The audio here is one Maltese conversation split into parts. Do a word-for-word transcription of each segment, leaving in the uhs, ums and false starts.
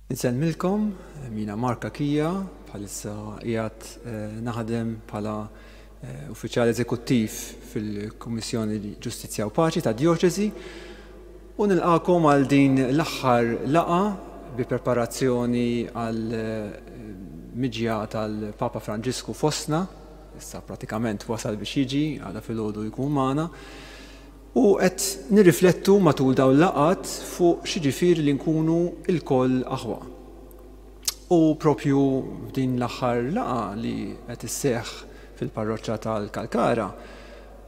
Insellmilkom, jiena Mark Cachia, bħalissa qiegħed eh, naħdem bħala eh, uffiċjal eżekuttiv fil-Kummissjoni Ġustizzja u Paċi ta' Djoċesi u nilqakom għal din l-aħħar laqgħa bi preparazzjoni għal eh, miġja tal-Papa Franġisku fostna, issa pratikament wasal biex jiġi, għada filgħodu jkun magħna. U qed nirriflettu matul dawn il-laqgħat fuq x'jiġifieri li nkunu lkoll aħwa. U propju f'din l-aħħar laqgħa li qed isseħħ fil-parroċċa tal-Kalkara,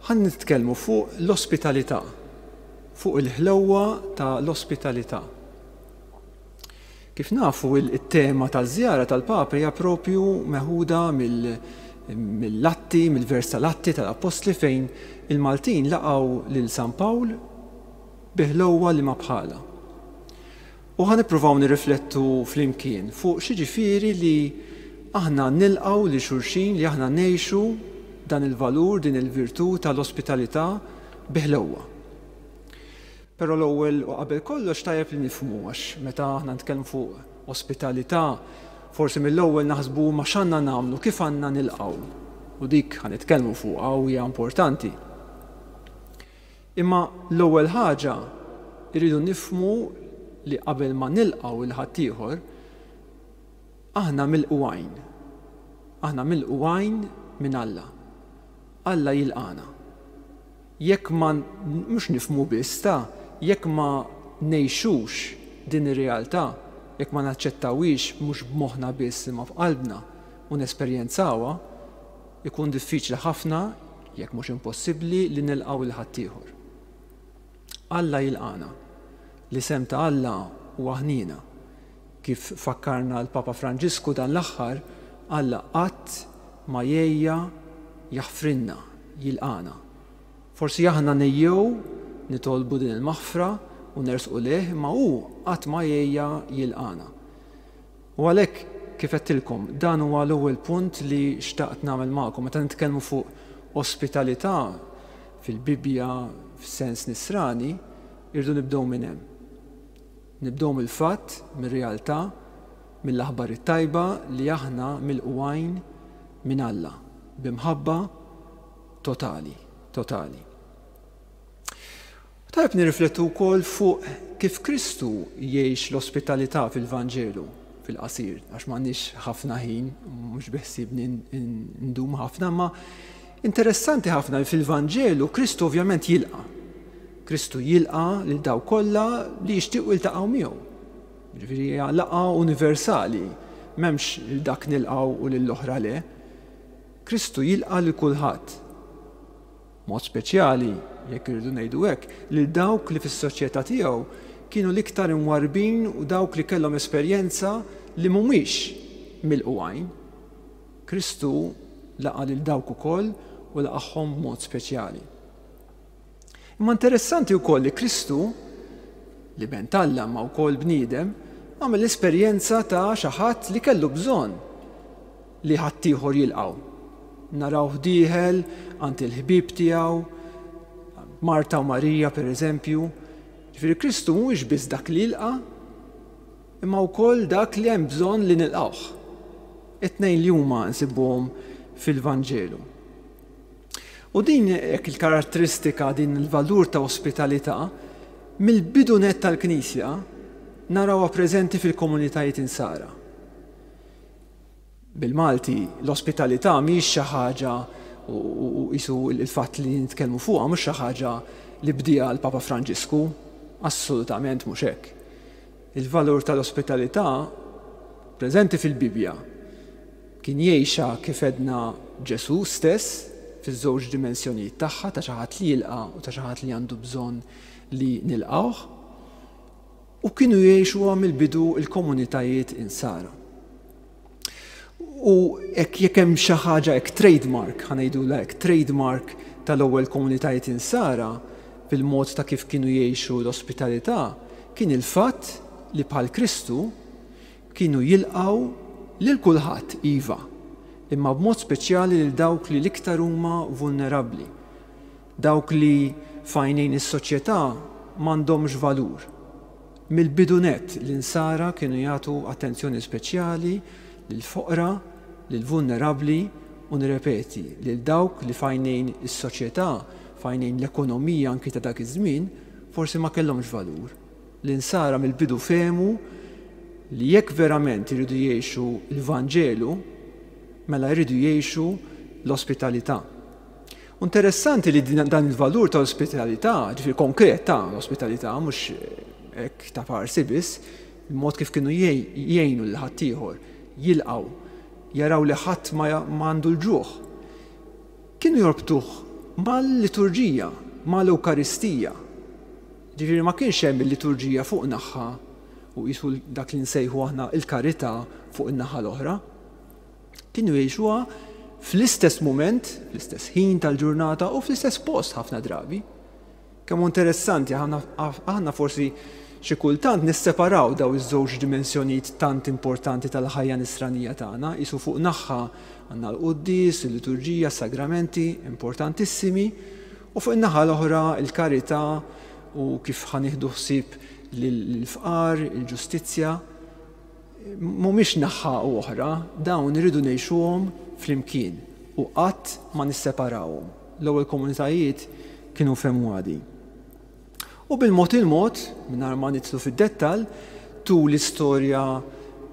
ħan nitkellmu fuq l-ospitalità, fuq il-ħlewwa ta' l-ospitalità. Kif nafu, il-tema taż-żjara tal-Papa hija propju meħuda mill mill-Atti, mill-vers tal-Atti tal-Appostli fejn il-Maltin laqgħu lil San Pawl bi ħlewwa li ma bħala. U ħa nippruvaw nirriflettu flimkien fuq x'jiġifieri li aħna nilqgħu lil xulxin, li aħna ngħixu dan il-valur, din il-virtù tal-ospitalità bi ħlewwa. Però l-ewwel u qabel kollox tajjeb li nifhmu, għax meta aħna nitkellmu fuq ospitalità, forsi mill-ewwel naħsbu ma x'għandna nagħmlu, kif għandna nilqgħu. U dik ħa nitkellmu fuqha u hija importanti. Imma l-ewwel ħaġa irridu nifhmu li qabel ma nilqgħu lil ħaddieħor, aħna milqugħin. Aħna milqugħin minn Alla. Alla jilqana. Jekk ma mhux nifhmu biss ta' jekk ma ngħixux din ir-realtà, jekk ma naċċettawhiex mhux b'moħħna biss imma f'qalbna u nesperjenzawha, ikun diffiċli ħafna, jekk mhux impossibbli, li nilqgħu lil ħaddieħor. Alla jilqana. L-isem ta' Alla huwa ħniena. Kif fakkarna l-Papa Franġisku dan l-aħħar, Alla qatt ma jgħejja jaħfrinna, jilqana. Forsi aħna nejjew nitolbu din il-maħfra u nersqu lejh, imma hu qatt ma jgħejja jilqana. U għalhekk, kif għedtilkom, dan huwa l-ewwel punt li xtaqt nagħmel magħkom. Meta nitkellmu fuq ospitalità fil-Bibbja f'sens nisrani, irridu nibdew minn hemm. Nibdew mill-fatt, mir-realtà, mill-aħbar it-tajba li aħna milqugħin minn Alla b'imħabba totali, totali. Tajb nirriflettu wkoll fuq kif Kristu jgħix l-ospitalità fil-Vanġelu fil-qasir, għax m'għandniex ħafna ħin, mhux biħsibni ndum ħafna, ma interessanti ħafna li fil-Vanġelu Kristu ovvjament jilqa'. Kristu jilqa' lil dawk kollha li jixtiequ jiltaqgħu miegħu. Ġifieri hija laqgħa universali, m'hemmx lil dak nilqgħu u lill-oħra le. Kristu jilqa' lil kulħadd. Mod speċjali, jekk irridu ngħidu hekk, lil dawk li fis-soċjetà tiegħu kienu l-iktar imwarbin u dawk li kellhom esperjenza li mhumiex milqugħin. Kristu laqa' lil dawk ukoll u laqagħhom b'mod speċjali. Imma interessanti wkoll li Kristu, li ben t'Alla ma wkoll bniedem, għamel l-esperjenza ta' xi ħadd li kellu bżonn li ħaddieħor jilqgħu. Narawh dieħel għand il-ħbieb tiegħu, Marta u Marija per eżempju. Ġifieri Kristu mhuwiex biss dak li jilqa', imma wkoll dak li hemm bżonn li nilqgħuh. It-tnejn li huma nsibuhom fil-Vanġelu. U din hekk il-karatteristika, din il-valur ta' ospitalità, mill-bidu nett tal-Knisja narawha preżenti fil-komunitajiet insara. Bil-Malti, l-ospitalità mhijiex xi ħaġa u qisu il-fatt li nitkellmu fuqha mhux xi ħaġa li bdiha l-Papa Franġisku, assolutament mhux hekk. Il-valur tal-ospitalità preżenti fil-Bibbja kien jgħixha kif għedna Ġesù stess fiż-żewġ dimensjonijiet tagħha, ta' xi ħadd li jilqa' u ta' xi ħadd li għandu bżonn li nilqgħuh, u kienu jgħixuha mill-bidu l-komunitajiet insara. U hekk jekk hemm xi ħaġa hekk trademark, ħa ngħidulha hekk, trademark tal-ewwel komunitajiet insara fil-mod ta' kif kienu jgħixu l-ospitalità, kien il-fatt li bħal Kristu kienu jilqgħu lil kulħadd iva, imma b'mod speċjali lil dawk li l-iktar huma vulnerabbli, dawk li f'għajnejn is-soċjetà m'għandhomx valur, Mill-bidu nett l-Insara kienu jagħtu attenzjoni speċjali lill-foqra, lill-vulnerabbli u nirrepeti, lil dawk li f'għajnejn is-soċjetà, f'għajnejn l-ekonomija anki ta' dak iż-żmien, forsi ma kellhomx valur. L-Insara mill-bidu fehmu li jekk verament iridu jgħixu l-Vanġelu, mela jridu jgħixu l-ospitalità. Interessanti li dan il-valur ta' ospitalità, ġifieri konkret ta' l-ospitalità, mhux hekk ta' parsi biss, il-mod kif kienu jgħinu lil ħaddieħor, jilqgħu, jaraw li ħadd ma għandu l-ġuħ. Kienu jorbtuh mal-liturġija, mal-Ewkaristija. Ġifieri ma kienx hemm il-liturġija fuq naħa u qisu dak li nsejħu aħna il-karità fuq in-naħa l-oħra. Kienu jgħixuha fl-istess mument, fl-istess ħin tal-ġurnata u fl-istess post ħafna drabi. Kemm interessanti, aħna forsi xi kultant nisseparaw daw iż-żewġ dimensjonijiet tant importanti tal-ħajja nisranija tagħna, qisu fuq naħa għandna l-quddies, il-liturġija, s-sagramenti importantissimi, u fuq in-naħa l-oħra il-karità u kif ħa nieħdu ħsieb lill-fqar, il-ġustizzja. Mhumiex naħa u oħra, dawn iridu ngħixuhom flimkien u qatt ma nisseparawhom. L-ewwel komunitajiet kienu fehmu għadi. U bil-mod il-mod, mingħajr ma nidħlu fid-dettall, tul l-istorja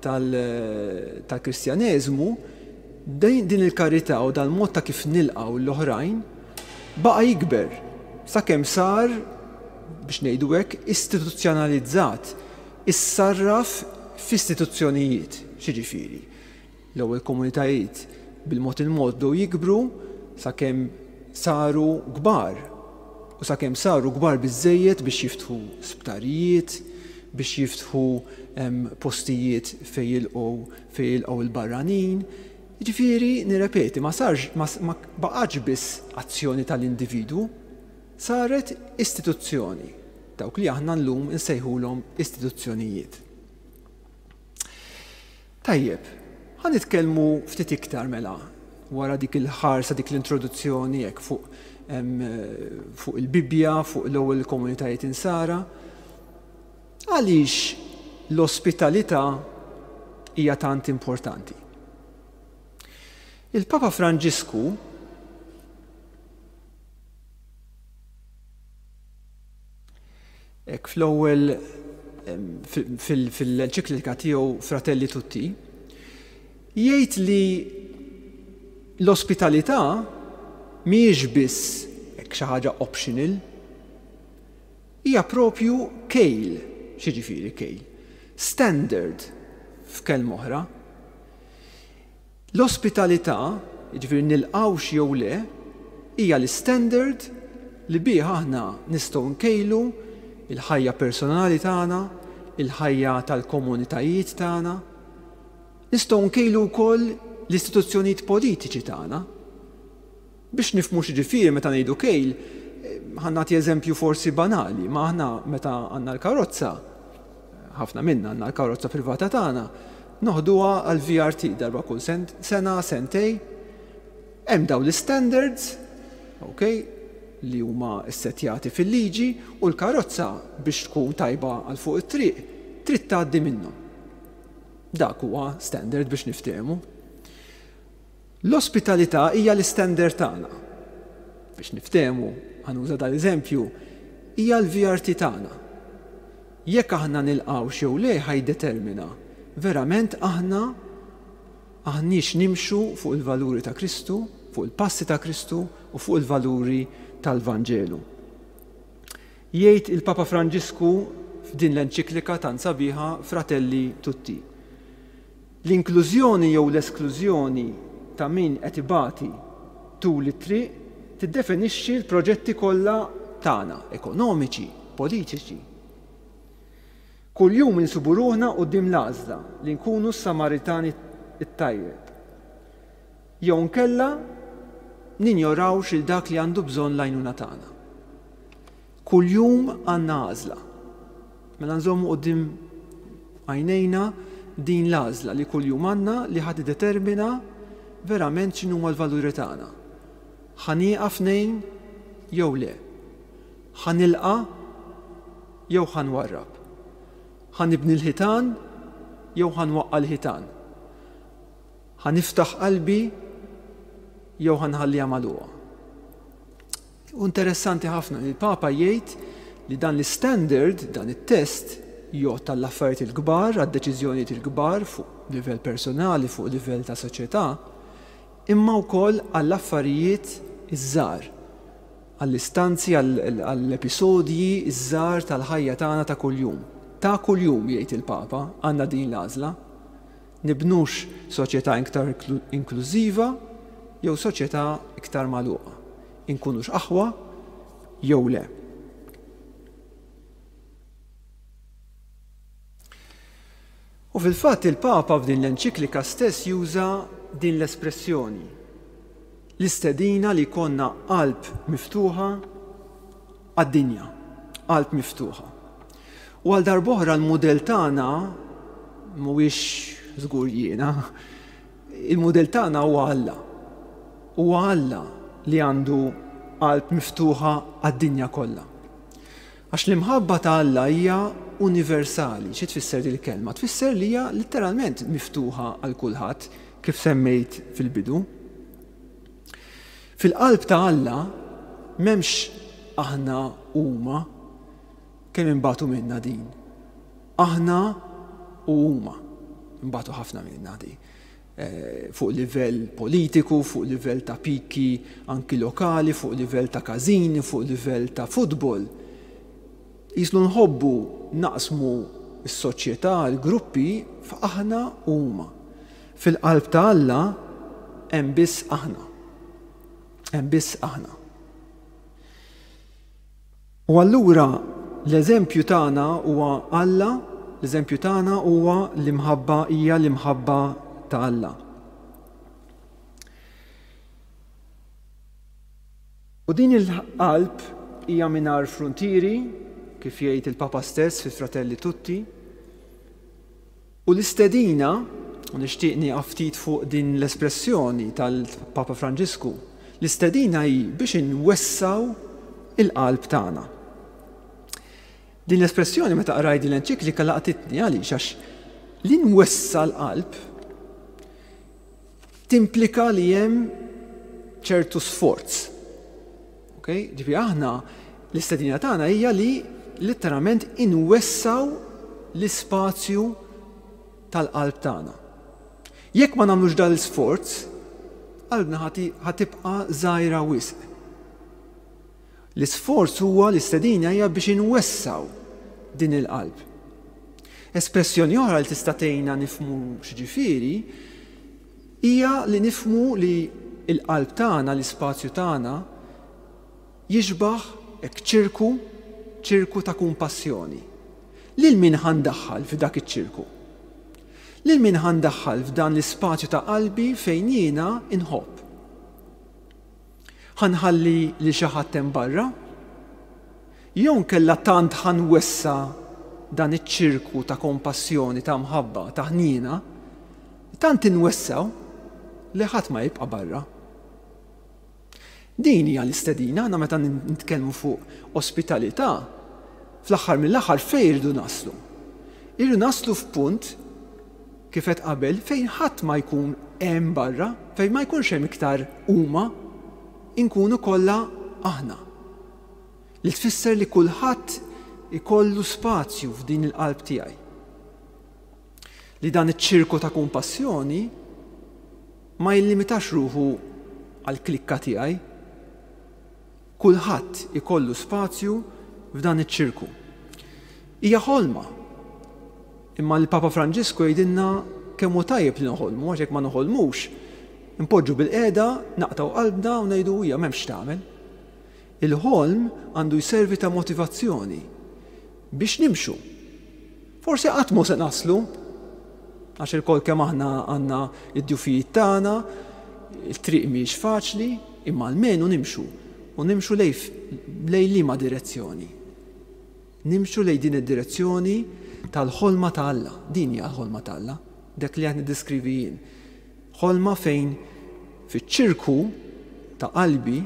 tal-Kristjaneżmu, din il-karità u dal-mod ta' kif nilqgħu l-oħrajn baqa' jikber sakemm sar, biex ngħidu hekk, istituzzjonalizzat, issarraf f'istituzzjonijiet. X'jiġifieri? L-ewwel komunitajiet bil-mod il-mod bdew jikbru sakemm saru kbar. U sakemm saru kbar biżżejjed biex jiftħu sptarijiet, biex jiftħu postijiet fejn jilqgħu fejn jilqgħu l-barranin. Jiġifieri, nirrepeti, ma sarx, ma baqgħetx biss azzjoni tal-individwu, saret istituzzjoni, dawk li aħna llum insejħulhom istituzzjonijiet. Tajjeb, ħa nitkellmu ftit iktar mela wara dik il-ħarsa, dik l-introduzzjoni hekk fuq fuq il-Bibbja, fuq l-ewwel komunitajiet insara. Għaliex l-ospitalità hija tant importanti? Il-Papa Franġisku hekk fl-ewwel fil-enċiklika tiegħu Fratelli Tutti jgħid li l-ospitalità mhijiex biss hekk xi ħaġa optional, hija propju kejl. X'jiġifieri kejl? Standard f'kelma oħra. L-ospitalità, jiġifieri nilqgħux jew le, hija l-standard li bih aħna nistgħu nkejlu il-ħajja personali tagħna, il-ħajja tal-komunitajiet tagħna. Nistgħu nkejlu wkoll l-istituzzjonijiet politiċi tagħna. Biex nifhmu x'jiġifieri meta ngħidu kejl, ħa nagħti eżempju forsi banali, ma aħna meta għandna l-karozza, ħafna minna għandna l-karozza privata tagħna, noħduha għal V R T darba kull sena, sentej. Hemm dawn l-standards, ok, li huma ssettjati fil-liġi, u l-karozza biex tkun tajba għal fuq it-triq trid tgħaddi minnhom. Dak huwa standard biex niftehmu. L-ospitalità hija l-istandard tagħna. Biex niftehmu, ħanuża dal-eżempju, hija l-V R T tagħna. Jekk aħna nilqgħux jew le ħajdetermina verament aħna aħniex nimxu fuq il-valuri ta' Kristu, fuq il-passi ta' Kristu u fuq il-valuri tal-Vanġelu. Jgħid il-Papa Franġisku f'din l-enċiklika tant sabiħa Fratelli Tutti. L-inklużjoni jew l-esklużjoni ta' min qed ibati tul it-triq tiddefinixxi l-proġetti kollha tagħna, ekonomiċi, politiċi. Kuljum insibu ruħna quddiem l-għażla li nkunu s-Samaritani t-tajjeb. Jew nkella ninjorawx il dak li għandu bżonn l-għajnuna tagħna. Kuljum għandna għażla. Mela nżommu quddiem għajnejna din l-għażla li kuljum għandna li ħad tiddetermina verament x'inhuma l-valuri tagħna. Ħa nieqaf ngħin jew le. Ħa nilqa' jew ħa nwarrab. Ħa nibni l-ħitan jew ħa nwaqqa' l-ħitan? Ħa niftaħ qalbi jew ħa nħalliha magħluqa? U interessanti ħafna li l-Papa jgħid li dan l-standard, dan it-test, jgħodd għall-affarijiet il-kbar, għad-deċiżjonijiet il-kbar fuq livell personali, fuq livell ta' soċjetà, imma wkoll għall-affarijiet iż-żgħar, għall-istanzi, għall-episodji iż-żgħar tal-ħajja tagħna ta' kuljum. Ta' kuljum, jgħid il-Papa, għandna din l-għażla. Nibnux soċjetà iktar inklużiva jew soċjetà iktar magħluqa. Inkunux aħwa jew le. U fil-fatt il-Papa f'din l-enċiklika stess juża din l-espressjoni, l-istedina li jkollna qalb miftuħa għad-dinja, qalb miftuħa. U għal darb'oħra l-mudell tagħna mhuwiex żgur jiena, il-mudell tagħna huwa Alla. Huwa Alla li għandu qalb miftuħa għad-dinja kollha. Għax l-imħabba ta' Alla hija universali. Xi tfisser din il-kelma? Tfisser li hija letteralment miftuħa għal kulħadd, kif semmejt fil-bidu. Fil-qalb ta' Alla m'hemmx aħna huma, kemm imbagħtu minna din. Aħna u huma imbagħtu ħafna minna din. Fuq livell politiku, fuq livell ta' piki anki lokali, fuq livell ta' każini, fuq livell ta' futbol. Jislu nħobbu naqsmu s-soċjetà, l-gruppi, f'aħna u huma. Fil-qalb ta' Alla hemm biss aħna. Hemm biss aħna. U allura l-eżempju tagħna huwa Alla, l-eżempju tagħna huwa l-imħabba, hija l-imħabba ta' Alla. U din il-qalb hija mingħajr fruntieri, kif jgħid il-Papa stess fi Fratelli Tutti. U l-istedina, u nixtieq nieqaf ftit fuq din l-espressjoni tal-Papa Franġisku, l-istedina hi biex inwessaw il-qalb tagħna. Din l-espressjoni meta qrajt din l-enċiklika laqtitni, għaliex? Għax li nwessa l-qalb timplika li hemm ċertu sforz. Okay? Ġifieri aħna l-istedina tagħna hija li letteralment inwessaw l-ispazju tal-qalb tagħna. Jekk ma nagħmlux dan l-isforz, qalbna ħatibqa' żgħira wisq. L-isforz huwa, l-istedina hija biex inwessaw din il-qalb. Espressjoni oħra li tista' tgħinna nifhmu x'ġifieri hija li nifhmu li l-qalb tagħna, l-ispazju tagħna jixbaħ hekk ċirku, ċirku ta' kumpassjoni. Lil min ħandaħħal f'dak iċ-ċirku? Lil min ħandaħħal f'dan l-ispazju ta' qalbi fejn jiena inħobb? Ħanħalli li xi ħadd hemm barra? Jew nkella tant ħanwessa dan iċ-ċirku ta' kompassjoni, ta' mħabba, ta' ħniena, tant inwessaw li ħadd ma jibqa' barra. Din hija l-istedina, aħna meta nitkellmu fuq ospitalità, fl-aħħar mill-aħħar fejn irridu naslu? Irridu naslu f'punt, kif qed qabel, fejn ħadd ma jkun hemm barra, fejn ma jkunx hemm iktar huma, inkunu kollha aħna. Li tfisser li kulħadd ikollu spazju f'din il-qalb tiegħi. Li dan iċ-ċirku ta' kumpassjoni ma jillimitax ruħu għall-klikka tiegħi. Kulħadd ikollu spazju f'dan iċ-ċirku. Hija ħolma. Imma l-Papa Franġisku jgħidilna kemm hu tajjeb li noħolmu, għax jekk ma noħolmux, npoġġu bil-qiegħda, naqtgħu qalbna u ngħidu hija m'hemmx tagħmel. Il-ħolm għandu jservi ta' motivazzjoni biex nimxu. Forsi qatt mhu se naslu, għax ilkoll kemm aħna għandna id-djufijiet tagħna, il-triq mhijiex faċli, imma almenu nimxu. U nimxu lej, lej liema direzzjoni? Nimxu lej din id-direzzjoni tal-ħolma ta' Alla. Din hija l-ħolma ta' Alla, dak li qed niddeskrivi jien. Ħolma fejn fiċ-ċirku ta' qalbi,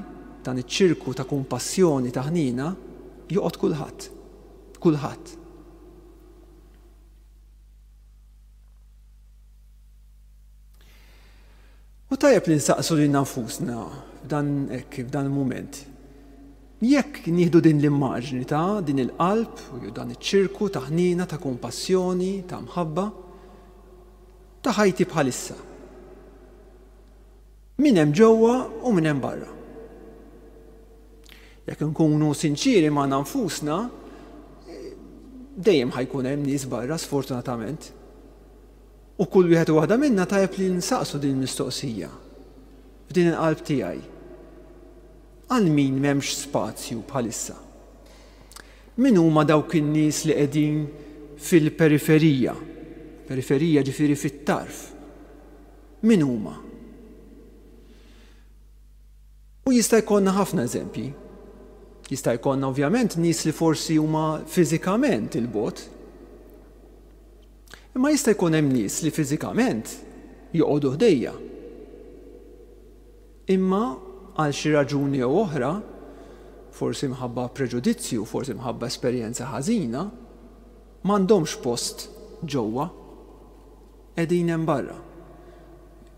dan iċ-ċirku ta' kumpassjoni, ta' ħnina, joqgħod kulħadd. Kulħadd. tajjeb li nsaqsu lilna nfusna f'dan hekk f'dan il-mument. Jekk nieħdu din l-immaġni ta' din il-qalb, u dan iċ-ċirku ta' ħnina, ta' kompassjoni, ta' mħabba, ta' ħajti bħalissa. Min hemm ġewwa u min hemm barra. Jekk nkunu sinċiri ma' nfusna, dejjem ħa jkun hemm nies barra, sfortunatament. U kull wieħed u waħda minna tajjeb li nsaqsu din il-mistoqsija f'din il-qalb tiegħi. Għal min m'hemmx spazju bħalissa? Min huma dawk in-nies li qegħdin fil-periferija? Periferija ġifieri fit-tarf. Min huma? U jista' jkollna ħafna eżempji. Jista' jkollna ovvjament nies li forsi huma fiżikament il-bogħod. Imma jista' jkun hemm nies li fiżikament joqogħdu ħdejja. Imma għal xi raġuni jew oħra, forsi mħabba preġudizzju, forsi mħabba esperjenza ħażina, m'għandhomx post ġewwa, qegħdin hemm barra.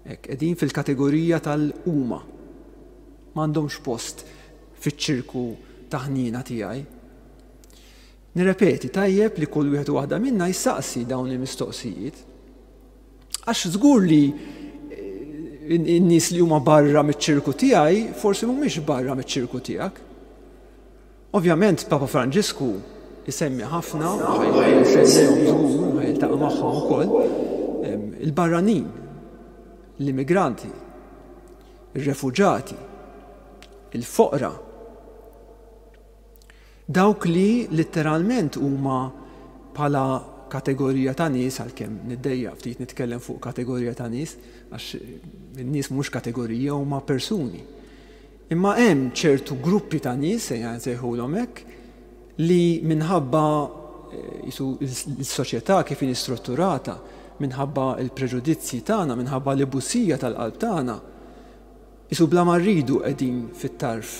Hekk qegħdin fil-kategorija tal-huma. M'għandhomx post fiċ-ċirku ta' ħnina tiegħi. Nirrepeti, tajjeb li kull wieħed u waħda minna jsaqsi dawn il-mistoqsijiet. Għax żgur li n-nies li huma barra miċ-ċirku tiegħi forsi mhumiex barra miċ-ċirku tiegħek. Ovvjament Papa Franġisku isemmi ħafna, żgur ħa jiltaqa' magħhom ukoll, il-barranin, l-immigranti, ir-refuġati, il-foqra. Dawk li letteralment huma bħala kategorija ta' nies, għalkemm niddejjaq ftit nitkellem fuq kategorija ta' nies, għax in-nies mhux kategorija, huma persuni. Imma hemm ċertu gruppi ta' nies, ejja nsejħulhom hekk, li minħabba jisu l-soċjetà kif inhi strutturata, minħabba l-preġudizzji tagħna, minħabba l-ibusija tal-qalb tagħna, jisu bla ma rridu qegħdin fit-tarf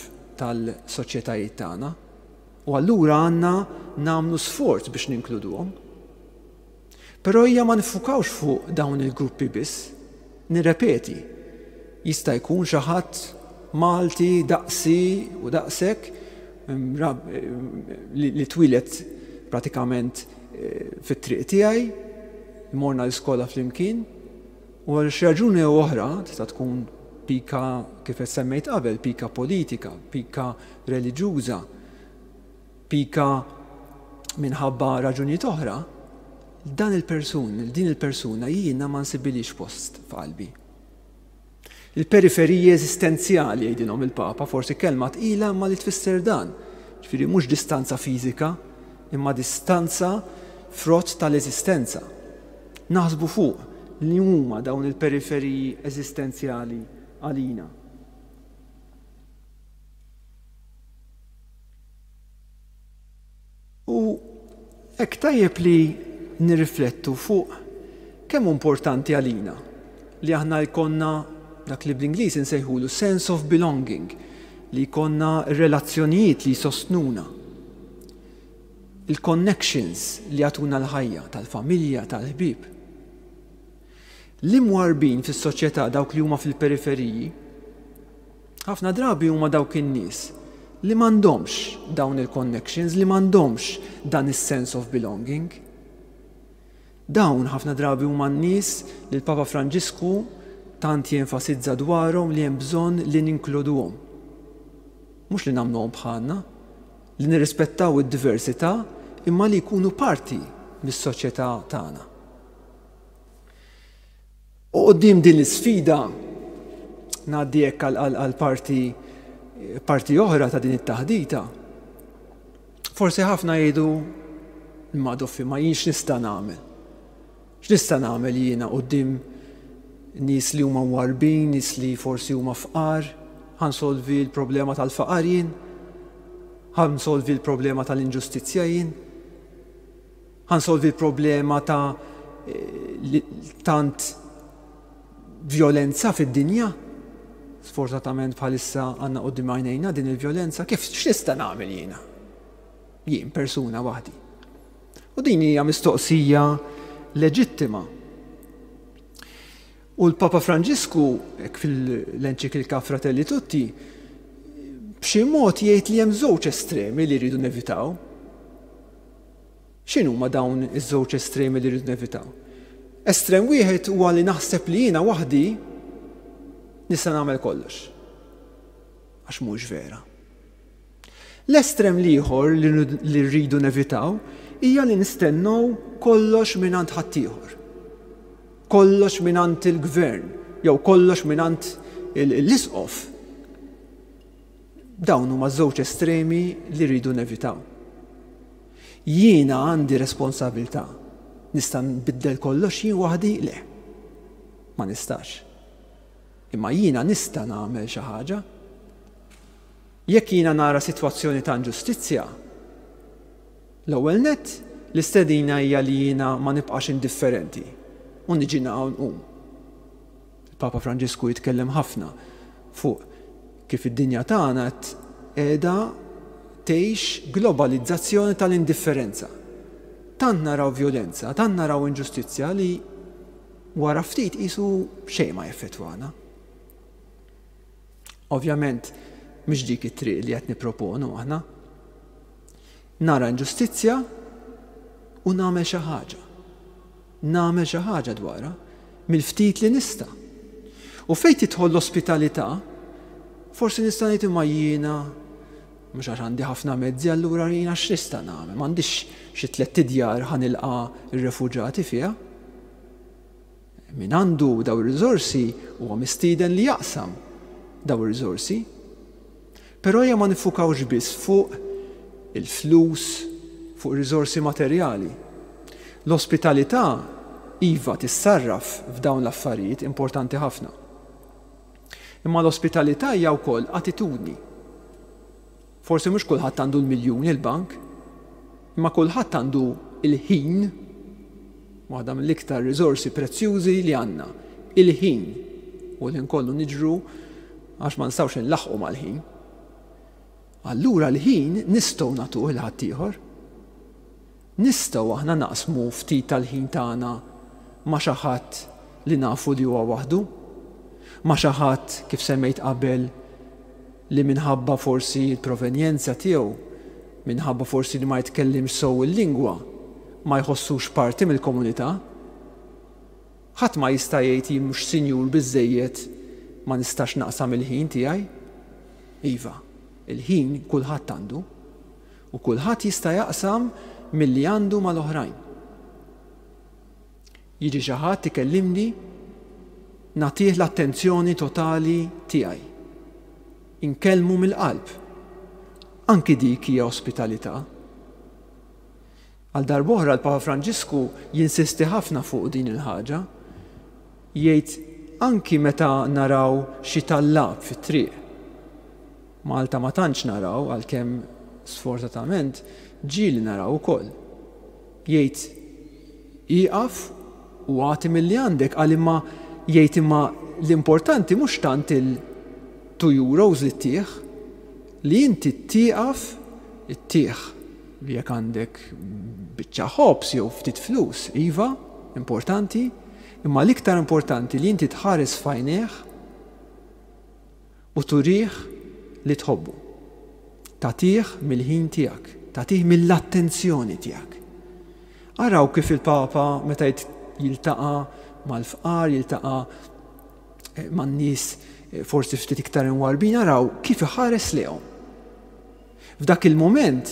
tal-soċjetajiet tagħna. U allura għandna nagħmlu sforz biex ninkluduhom. Però hija ma nifukawx fuq dawn il-gruppi biss. Nirrepeti, jista' jkun xi ħadd Malti daqsi u daqsek li twieled pratikament fit-triq tiegħi, morna l-iskola flimkien, u għal xi raġuni jew oħra, tista' tkun pika kif qed semmejt qabel, pika politika, pika reliġjuża, pika minħabba raġunijiet oħra, dan il-persun, din il-persuna jiena ma nsibilix post f'qalbi. Il-periferiji eżistenzjali jgħidilhom il-Papa, forsi kelma tqila ma li tfisser dan. Ġifieri mhux distanza fiżika, imma distanza frott tal-eżistenza. Naħsbu fuq li huma dawn il-periferiji eżistenzjali għalina. U hekk tajjeb li nirriflettu fuq kemm hu importanti għalina li aħna jkollna dak li bl-Ingliż insejħulu sense of belonging, li jkollna relazzjonijiet li jsostnuna, il-connections li jagħtuna l-ħajja tal-familja, tal-ħbieb. L-imwarbin fis-soċjetà, dawk li huma fil-periferiji, ħafna drabi huma dawk in-nies li m'għandhomx dawn il-connections, li m'għandhomx dan is-sense of belonging. Dawn ħafna drabi huma n-nies li l-Papa Franġisku tant jenfasizza dwarhom li hemm bżonn li ninkluduhom. Mhux li nagħmluhom bħalna, li nirrispettaw id-diversità, imma li jkunu parti mis-soċjetà tagħna. U quddiem din l-isfida ngħaddi hekk għal parti, parti oħra ta' din it-taħdita. Forsi ħafna jgħidu imma doffi ma jienx nista' nagħmel. X'nista' nagħmel jiena quddiem nies li huma mwarbin, nies li forsi huma fqar, ħa nsolvi l-problema tal-faqar jien, ħa nsolvi l-problema tal-inġustizzja jien, ħa nsolvi l-problema ta' tant violenza fid-dinja. Sfortunatament bħalissa għandna quddiem għajnejna din il-vjolenza, kif x'nista' nagħmel jiena? Jien persuna waħdi. U din hija mistoqsija leġittima. U l-Papa Franġisku, fil-enċiklika Fratelli Tutti, b'xi mod jgħid li hemm żewġ estremi li rridu nevitaw. X'inhuma dawn iż-żewġ estremi li rridu nevitaw? Estrem wieħed huwa li naħseb li jiena waħdi nista' nagħmel kollox. Għax mhux vera. L-estrem l-ieħor li rridu nevitaw hija li nistennew kollox mingħand ħaddieħor. Kollox mingħand il-gvern jew kollox mingħand l-isqof. Dawn huma żewġ estremi li rridu nevitaw. Jiena għandi responsabilità. Nista' nbiddel kollox jien waħdi? Le. Ma nistax. Imma jiena nista' nagħmel xi ħaġa. Jekk jiena nara sitwazzjoni ta' inġustizzja, l-ewwel nett l-istedina hija li jiena ma nibqax indifferenti u niġi hawn nqum. Il-Papa Franġisku jitkellem ħafna fuq kif id-dinja tagħna qiegħda tgħix globalizzazzjoni tal-indifferenza. Tant naraw vjolenza, tant naraw inġustizzja li wara ftit qisu xejn ma jeffettwana. Ovvjament, mhix dik it-triq li qed nipproponu aħna. Nara inġustizzja u nagħmel xi ħaġa. Nagħmel xi ħaġa dwarha mill-ftit li nista'. U fejn tidħol l-ospitalità, forsi nista' ngħid imma jiena mhux għax għandi ħafna mezzi allura jiena x'nista' nagħmel, m'għandix xi tlett idjar ħa nilqa' r-refuġati fiha. Min għandu daw ir-riżorsi huwa mistieden li jaqsam daw ir-riżorsi. Però ejja ma nifukawx biss fuq il-flus, fuq riżorsi materjali. L-ospitalità iva tissarraf f'dawn l-affarijiet importanti ħafna. Imma l-ospitalità hija wkoll attitudni. Forsi mhux kulħadd għandu l-miljuni l-bank, imma kulħadd għandu il-ħin, waħda mill-iktar riżorsi prezzjużi li għandna, il-ħin, u l-ħin kollu niġru għax ma nistgħux inlaħħqu mal-ħin. Allura l-ħin nistgħu nagħtuh lil ħaddieħor. Nistgħu aħna naqsmu ftit tal-ħin tagħna ma' xi ħadd li nafu li huwa waħdu, ma' xi ħadd kif semmejt qabel li minħabba forsi l-provenjenza tiegħu, minħabba forsi li ma jitkellimx sew il-lingwa, ma jħossux parti mill-komunità. Ħadd ma jista' jgħid jien mhux sinjur biżżejjed ma nistax naqsam il-ħin tiegħi. Iva, il-ħin kulħadd għandu u kulħadd jista' jaqsam milli għandu mal-oħrajn. Jiġi xi ħadd ikellimni, nagħtih l-attenzjoni totali tiegħi. Inkellmu mill-qalb. Anki dik hija ospitalità. Għal darb'oħra l-Papa Franġisku jinsisti ħafna fuq din il-ħaġa. Jgħid anki meta naraw xi tallab fit-triq. Malta ma tantx naraw, għalkemm sfortunatament ġieli naraw ukoll. Jgħid ieqaf u agħti milli għandek, għal imma jgħid imma l-importanti mhux tant il two euros li ttieħ, li inti tieqaf ittieħ li jekk għandek biċċa ħobż jew ftit flus, iva, importanti, imma l-iktar importanti li inti tħares f'għajnejh u turih li tħobbu. Tagħtih mill-ħin tiegħek, tagħtih mill-attenzjoni tiegħek. Araw kif il-Papa meta jiltaqa' mal-fqar, jiltaqa' man-nies forsi ftit iktar imwarbin, araw kif iħares lejhom. F'dak il-moment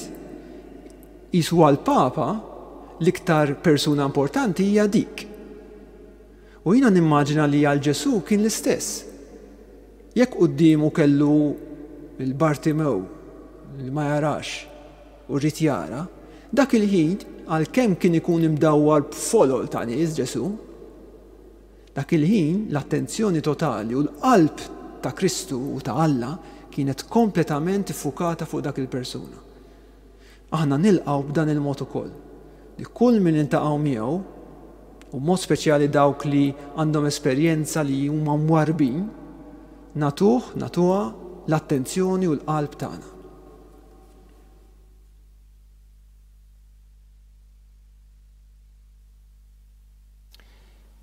qisu għall-Papa l-iktar persuna importanti hija dik. U jiena nimmaġina li għal Ġesù kien l-istess. Jekk quddiemu kellu il-Bartimew li ma jarax u rrid jara, dak il-ħin għalkemm kien ikun imdawwar b'folol ta' nies Ġesù, dak il-ħin l-attenzjoni totali u l-qalb ta' Kristu u ta' Alla kienet kompletament iffukata fuq dak il-persuna. Aħna nilqgħu b'dan il-mod ukoll, li kull min niltaqgħu miegħu, u mod speċjali dawk li għandhom esperjenza li huma mwarbin, natuh, natuha l-attenzjoni u l-qalb tagħna.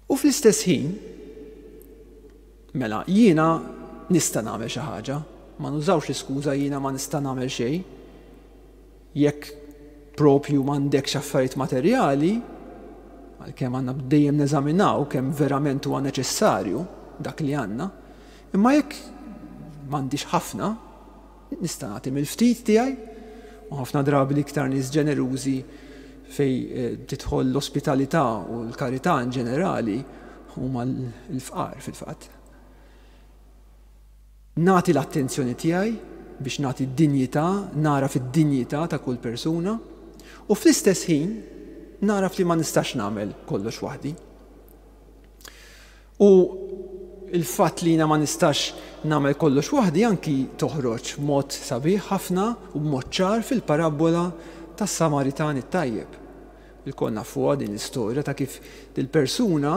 U fl-istess ħin, Mela, jiena nista' nagħmel xi ħaġa, ma nużawx l-iskuża jiena ma nista' nagħmel xejn. Jekk propju m'għandekx affarijiet materjali, għalkemm għandna dejjem neżaminaw kemm verament huwa neċessarju dak li għandna, imma jekk m'għandix ħafna, nista' nagħti mill-ftit tiegħi, u ħafna drabi l-iktar nies ġenerużi fej eh, tidħol l-ospitalità u l-karità in ġenerali huma l-fqar fil-fatt. Nagħti l-attenzjoni tiegħi biex nagħti d-dinjità, nara fid-dinjità ta' kull persuna, u fl-istess ħin naraf li ma nistax nagħmel kollox waħdi. U il-fatt li jiena ma nistax nagħmel kollox waħdi anki toħroġ mod sabiħ ħafna u b'mod ċar fil-parabbola tas-Samaritan it-tajjeb. Ilkoll nafuha din l-istorja ta' kif dil-persuna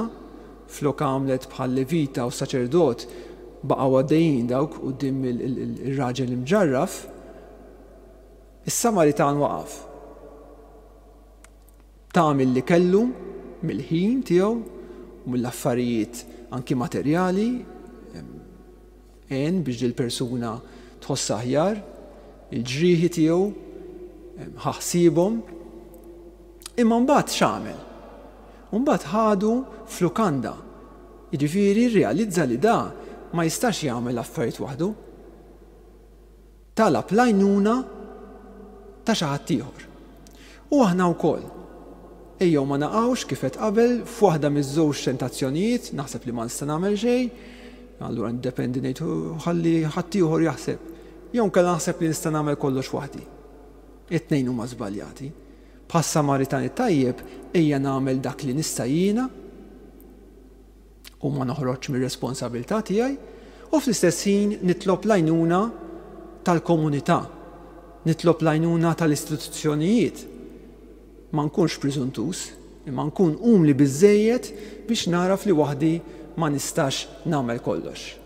flok għamlet bħal levita u saċerdot baqgħu għaddejjin dawk quddiem ir-raġel imġarraf, is-Samaritan waqaf. Ta milli kellu, mill-ħin tiegħu u mill-affarijiet anki materjali, għen biex dil-persuna tħoss aħjar, il-ġrieħi tiegħu ħa ħsiebhom. Imma mbagħad x'għamel? Mbagħad ħadu f'lukanda. Jiġifieri rrealizza li da ma jistax jagħmel affarijiet waħdu. Talab l-għajnuna ta' xi ħadd ieħor. U aħna wkoll. Ejjew ma naqgħux kif qed qabel f'waħda miż-żewġ tentazzjonijiet, naħseb li ma nista' nagħmel xejn, allura ndependi ngħid ħalli ħadd ieħor jaħseb. Jew inkella naħseb li nista' nagħmel kollox waħdi. It-tnejn huma żbaljati. Bħas-Samaritan it-tajjeb ejja nagħmel dak li nista' jiena u ma noħroġ mir-responsabilità tiegħi, u fl-istess ħin nitlob l-għajnuna tal-komunità, nitlob l-għajnuna tal-istituzzjonijiet. Ma nkunx preżuntus, imma nkun umli biżżejjed biex naraf li waħdi ma nistax nagħmel kollox.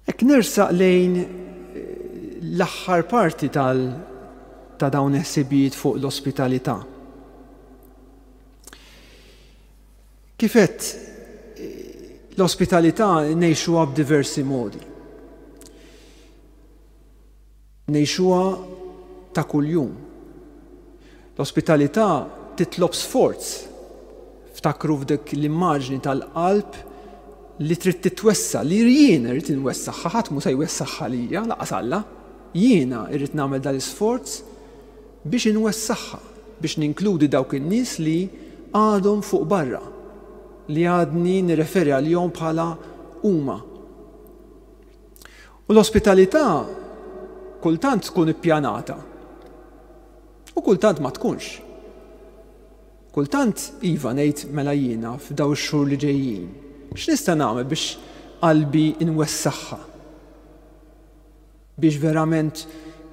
Hekk nersaq lejn l-aħħar parti tal ta' dawn il-ħsibijiet fuq l-ospitalità. Kif għedt, l-ospitalità ngħixuha b'diversi modi. Ngħixuha ta' kuljum. L-ospitalità titlob sforz. Ftakru f'dik l-immaġni tal-qalb li trid titwessa, li jien irrid inwessaħħa, ħadd mhu se jwessaħħa lija, laqas Alla. Jiena irrid nagħmel dal-isforz biex inwessaħħa, biex ninkludi dawk in-nies li għadhom fuq barra, li għadni nirreferi għalihom bħala huma. U l-ospitalità kultant tkun ippjanata u kultant ma tkunx. Kultant iva ngħid mela jiena f'daw ix-xhur li ġejjin, x'nista' nagħmel biex qalbi inwessaħħa? Biex verament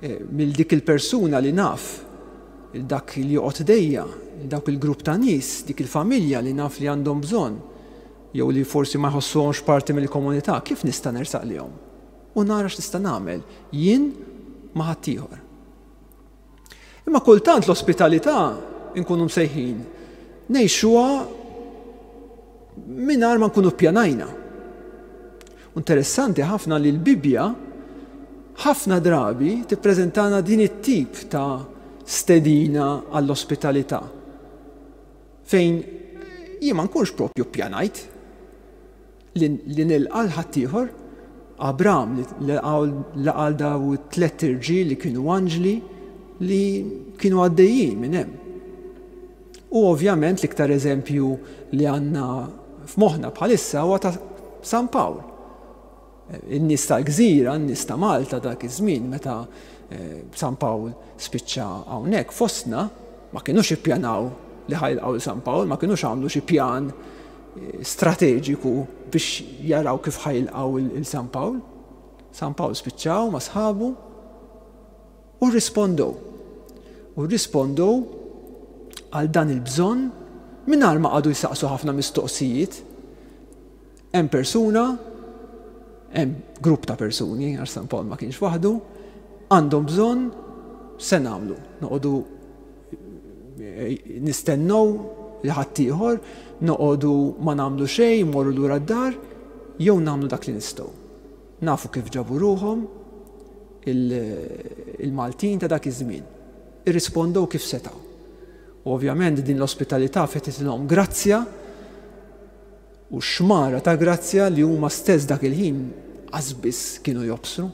eh, mill dik il-persuna li naf, dak li joqgħod dejja, dawk il-grupp ta' nies, dik il-familja li naf li għandhom bżonn, jew li forsi ma jħossuhomx parti mill-komunità, kif nista' nersaq lihom? U nara x'nista' nagħmel jien ma' ħaddieħor. Imma kultant l-ospitalità nkunu msejħin ngħixuha mingħajr ma nkunu ppjanajna. Interessanti ħafna li l-Bibbja ħafna drabi tippreżentana din it-tip ta' stedina għall-ospitalità, fejn jien ma nkunx propju ppjanajt li, li nilqa' l ħaddieħor. Abram li laqa' daw it-tliet irġiel li kienu anġli li kienu għaddejjin minn hemm. U ovvjament l-iktar eżempju li għandna f'moħħna bħalissa huwa ta' San Pawl. In-nies tal-gżira, in-nies ta' Malta dak iż-żmien meta San Pawl spiċċa hawnhekk fostna, ma kinux ippjanaw li ħajlqgħu San Pawl, ma kinux għamlu xi pjan strateġiku biex jaraw kif ħajlqgħu il San Pawl. San Pawl spiċċaw ma' sħabu u rrispondew. U rrispondew għal dan il-bżonn mingħajr ma qagħdu jsaqsu ħafna mistoqsijiet. Hemm persuna, hemm grupp ta' persuni, għax San Pawl ma kienx waħdu, għandhom bżonn, se nagħmlu? Noqogħdu Nistennew li ħaddieħor, noqogħdu ma nagħmlu xejn, mmorru lura d-dar, jew nagħmlu dak li nistgħu. Nafu kif ġabu ruħhom il-Maltin ta' dak iż-żmien. Irrispondew kif setgħu. U ovvjament din l-ospitalità fetħitilhom grazzja u xmara ta' grazzja li huma stess dak il-ħin qas kienu jobsru.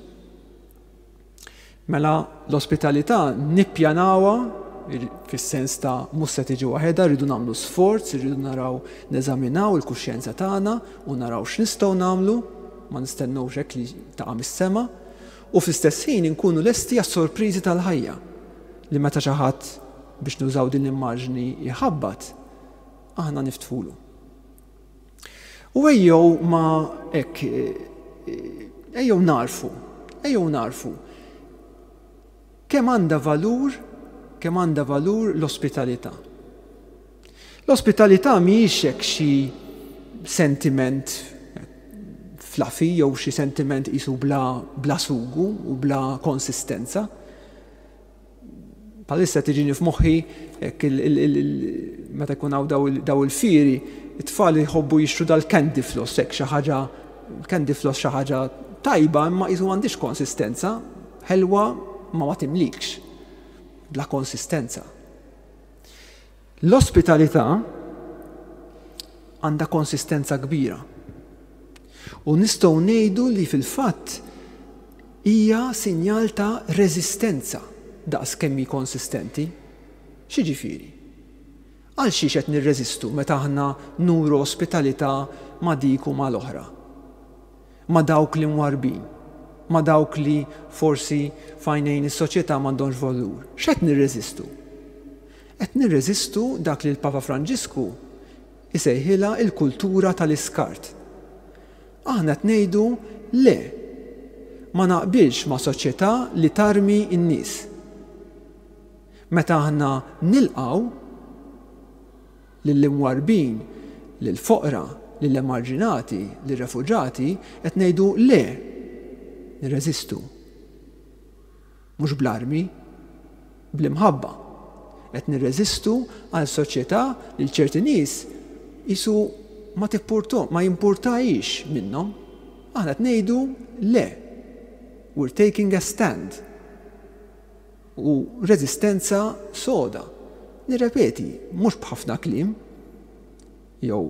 Mela l-ospitalità nippjanawha fis-sens ta' mhux se tiġi waħedha, rridu nagħmlu sforz, rridu naraw, neżaminaw il-kuxjenza tagħna u naraw x'nistgħu nagħmlu, ma nistennewx hekk li taqa' mis-sema, u fl-istess ħin inkunu lesti għas-sorpriżi tal-ħajja li meta xi ħadd, biex nużaw din l-immaġni, jħabbat, aħna niftħulu. U ejjew ma hekk, ejjew narfu, ejjew narfu kemm għandha valur, kemm għandha valur l-ospitalità. L-ospitalità mhijiex hekk xi sentiment fluffy jew xi sentiment qisu bla, bla sugu u bla konsistenza. Bħalissa tiġini f'moħħi meta jkun hawn daw il-fieri, it-tfal jħobbu jixtru dal-candy floss, hekk xi ħaġa, candy floss xi ħaġa tajba, imma qisu m'għandix konsistenza, ħelwa ma ma timlikx, bla konsistenza. L-ospitalità għandha konsistenza kbira. U nistgħu ngħidu li fil-fatt hija sinjal ta' reżistenza daqs kemm hi konsistenti. X'jiġifieri? Għal xiex qed nirreżistu meta aħna nuru ospitalità ma' dik u mal-oħra? Ma' dawk li mwarrbin, ma' dawk li forsi f'għajnejn is-soċjetà m'għandhomx valur. X'qed nirreżistu? Qed nirreżistu dak li l-Papa Franġisku isejħilha il-kultura tal-iskart. Aħna qed ngħidu le, ma naqbilx ma' soċjetà li tarmi n-nies. Meta aħna nilqgħu lill-imwarrbin, lill-foqra, lill-emarġinati, lir-refuġati, qed ngħidu le, nirreżistu. Mhux bl-armi, bl-imħabba. Qed nirreżistu għal soċjetà li ċerti nies qisu ma tippurto, ma jimpurtajx minnhom. Aħna qed ngħidu le. We're taking a stand. U reżistenza soda. Nirrepeti, mhux b'ħafna kliem, jew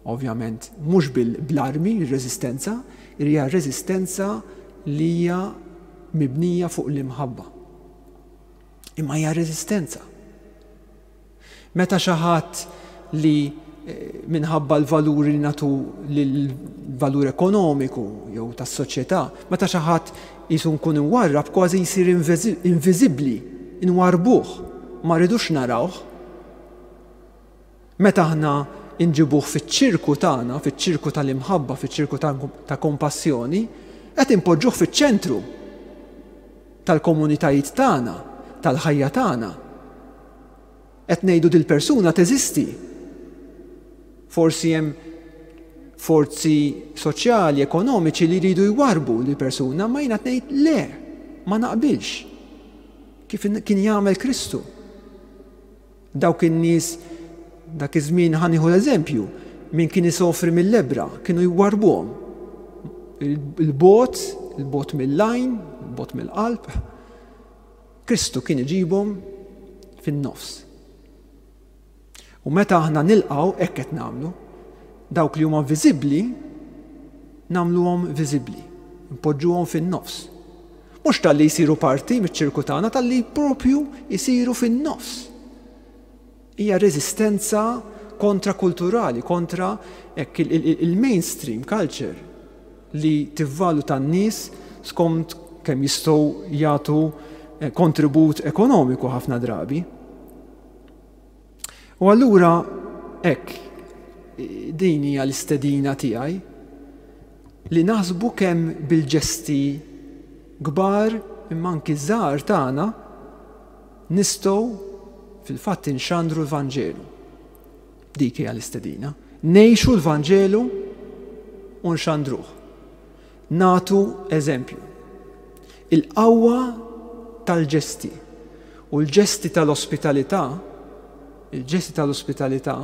ovvjament mhux bil-armi r-reżistenza, hija reżistenza li hija mibnija fuq l-imħabba. Imma hija reżistenza. Meta xi ħadd li eh, minħabba l-valuri li nagħtu l-valur ekonomiku jew tas-soċjetà, meta xi ħadd qisu nkun imwarrab kważi jsir inviżibbli, inwarbuh, ma rridux narawh. Meta aħna inġibuh fiċ-ċirku tagħna, fiċ-ċirku tal-imħabba, fiċ-ċirku ta' kompassjoni, qed impoġġuh fiċ-ċentru tal-komunitajiet tagħna, tal-ħajja tagħna. Qed ngħidu dil-persuna teżisti. Forsi hemm forzi soċjali, ekonomiċi li jridu jwarbu lil persuna, ma jiena ngħid le, ma naqbilx. Kif kien jagħmel Kristu. Dawk in-nies dak iż-żmien, ħa nieħu l-eżempju, min kien isofri mill-lebbra, kienu jwarbuhom. Il-bogħod, il-bogħod mill-għajn, il-bogħod mill-qalb. Kristu kien iġibhom fin-nofs. U meta aħna nilqgħu, hekk qed nagħmlu, dawk li huma viżibbli nagħmluhom viżibbli, npoġġuhom fin-nofs. Mhux talli jsiru parti miċ-ċirku tagħna, talli propju jsiru fin-nofs. Hija reżistenza kontrakulturali, kontra hekk il-mainstream culture li tivvaluta n-nies skont kemm jistgħu jagħtu eh, kontribut ekonomiku ħafna drabi. U allura hekk din hija l-istedina tiegħi li naħsbu kemm bil-ġesti kbar imma anki żgħar tagħna nistgħu fil-fatt inxandru l-Vanġelu. Dik hija l-istedina. Ngħixu l-Vanġelu u nxandruh. Nagħtu eżempju. Il-qawwa tal-ġesti u l-ġesti tal-ospitalità Il-ġesti tal-ospitalità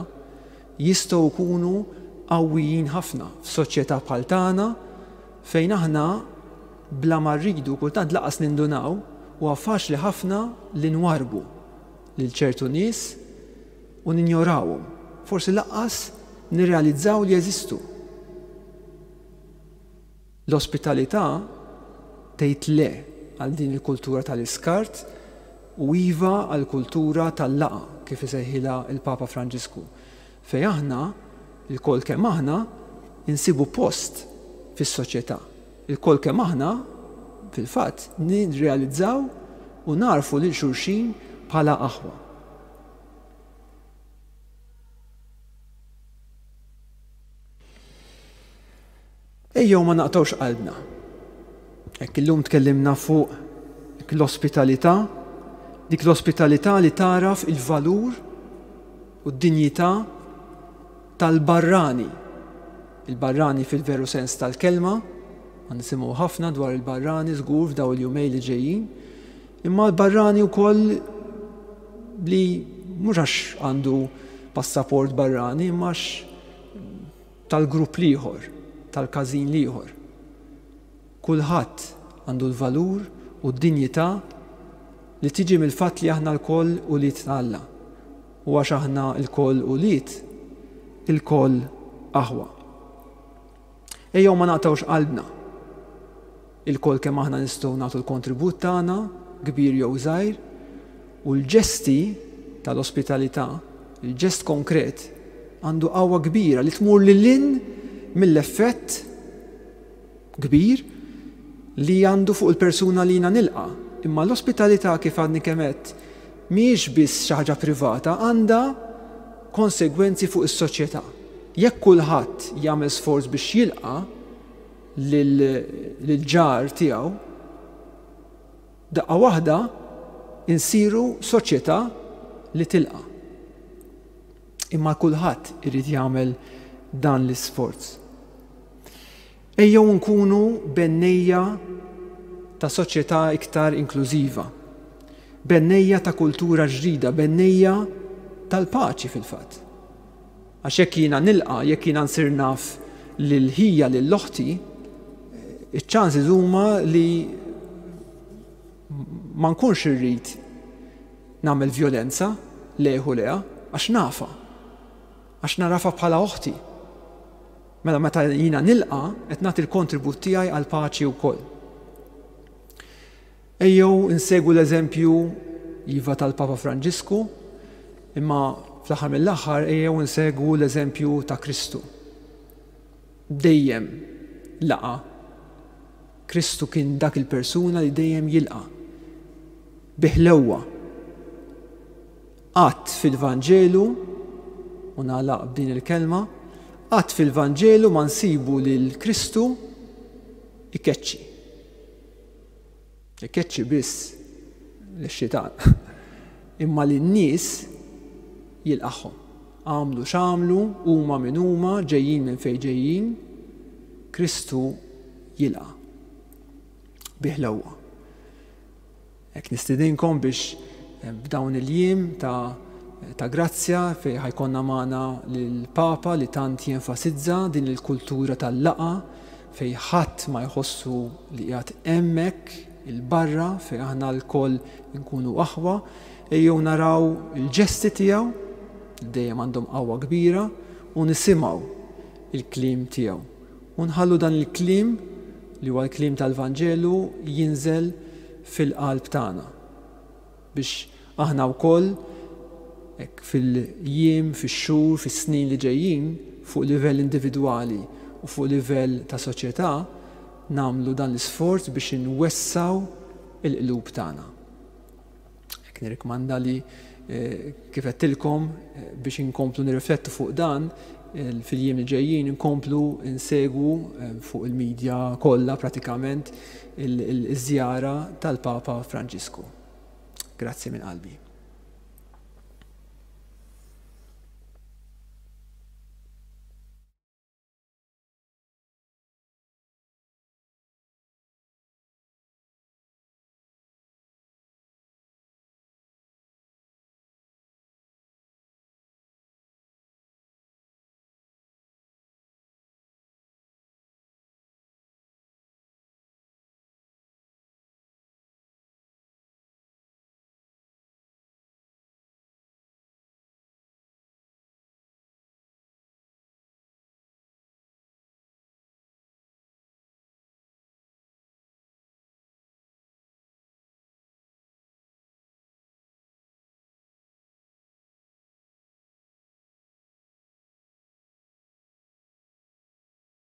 jistgħu jkunu qawwijin ħafna f'soċjetà bħal tagħna fejn aħna bla ma rridu kultant laqas nindunaw huwa faċli ħafna li nwarbu lil ċertu nies u ninjorawhom. Forsi laqas nirrealizzaw li jeżistu. L-ospitalità tgħid le għal din il-kultura tal-iskart u iva għal kultura tal-laqgħa, kif isejħilha il-Papa Franġisku, fejn aħna, ilkoll kemm aħna, insibu post fis-soċjetà. Ilkoll kemm aħna, fil-fatt, nirrealizzaw u narfu lil xulxin bħala aħwa. Ejjew ma naqtgħux qalbna. Hekk illum tkellimna fuq l-ospitalità, dik l-ospitalità li tagħraf il-valur u d-dinjità tal-barrani. Il-barrani fil-veru sens tal-kelma, għan nisimgħu ħafna dwar il-barrani żgur f'daw il-jumej li ġejjin, imma l-barrani wkoll li mhux għax għandu passaport barrani, imma għax tal-grupp l-ieħor, tal-każin l-ieħor. Kulħadd għandu l-valur u d-dinjità li tiġi mill-fatt li aħna lkoll ulied ta' Alla. U għax aħna lkoll ulied, ilkoll aħwa. Ejjew ma naqtgħux qalbna. Ilkoll kemm aħna nistgħu nagħtu l-kontribut tagħna, kbir jew żgħir, u l-ġesti tal-ospitalità, il-ġest konkret, għandu qawwa kbira li tmur lil hinn mill-effett kbir li għandu fuq il-persuna li jiena nilqa'. Imma l-ospitalità, kif għadni kemm għedt, mhijiex biss xi ħaġa privata, għandha konsegwenzi fuq is-soċjetà. Jekk kulħadd jagħmel sforz biex jilqa' lil-ġar tiegħu, daqqa waħda insiru soċjetà li tilqa'. Imma kulħadd irid jagħmel dan l-isforz. Ejjew nkunu bennejja ta' soċjetà iktar inklużiva, bennejja ta' kultura ġdida, bennejja tal-paċi fil-fatt. Għax jekk jiena nilqa', jekk jiena nsir naf lil ħija lil oħti, iċ-ċansi huma li ma nkunx irrid nagħmel vjolenza lejh u leha, għax nafa, għax narafa bħala oħti. Mela meta jiena nilqa', qed nagħti l-kontribut tiegħi għall paċi wkoll. Ejjew insegwu l-eżempju iva tal-Papa Franġisku, imma fl-aħħar mill-aħħar ejjew insegwu l-eżempju ta' Kristu. Dejjem laqa'. Kristu kien dak il-persuna li dejjem jilqa' bi ħlewwa. Qatt fil-Vanġelu, u nagħlaq b'din il-kelma, qatt fil-Vanġelu ma nsibu lil Kristu ikeċċi. Ikeċċi biss lix-xitan, imma lin-nies jilqagħhom. Għamlu x'għamlu, huma min huma, ġejjin minn fejn ġejjin, Kristu jilqa' bi ħlewwa. Hekk nistedinkom biex b'dawn il-jiem ta' ta' grazzja fejn ħajkonna magħna lill-Papa li tant jenfasizza din il-kultura tal-laqgħa fejn ħadd ma jħossu li qiegħed hemmhekk il-barra, fejn aħna lkoll nkunu aħwa, ejjew naraw il-ġesti tiegħu li dejjem għandhom qawwa kbira u nisimgħu il-kliem tiegħu. U nħallu dan il-kliem li huwa l-kliem tal-Vanġelu jinżel fil-qalb tagħna biex aħna wkoll hekk fil-jiem, fix-xhur, fis-snin li ġejjin fuq livell individwali u fuq livell ta' soċjetà nagħmlu dan l-isforz biex inwessaw il-qlub tagħna. Hekk nirrikmanda li kif għedtilkom biex inkomplu nirriflettu fuq dan fil-jiem li ġejjin, inkomplu insegwu fuq il-medja kollha pratikament il-żjara tal-Papa Franġisku. Grazzi minn qalbi.